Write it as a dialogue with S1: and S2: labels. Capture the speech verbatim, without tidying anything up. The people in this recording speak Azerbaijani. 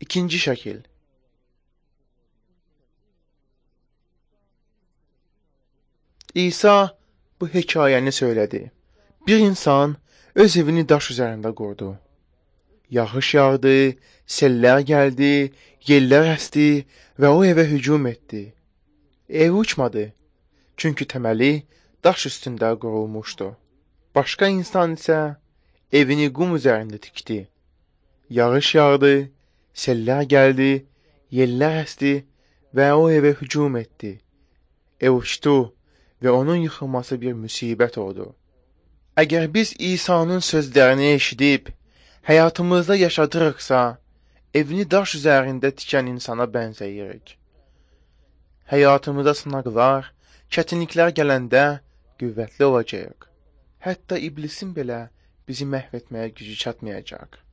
S1: İkinci şəkil. İsa bu hekayəni söylədi. Bir insan öz evini daş üzərində qurdu. Yağış yağdı, sellər gəldi, yellər əsdi və o evə hücum etdi. Ev uçmadı, çünki təməli daş üstündə qurulmuşdu. Başqa insan isə evini qum üzərində tikdi. Yağış yağdı, sellər gəldi, yellər əsdi və o evə hücum etdi. Ev uçdu və onun yıxılması bir müsibət oldu. Əgər biz İsa'nın sözlərini eşidib, həyatımızda yaşadırıqsa, evini daş üzərində tikən insana bənzəyirik. Həyatımıza sınaqlar, çətinliklər gələndə qüvvətli olacaq. Hətta iblisin belə bizi məhv etməyə gücü çatmayacaq.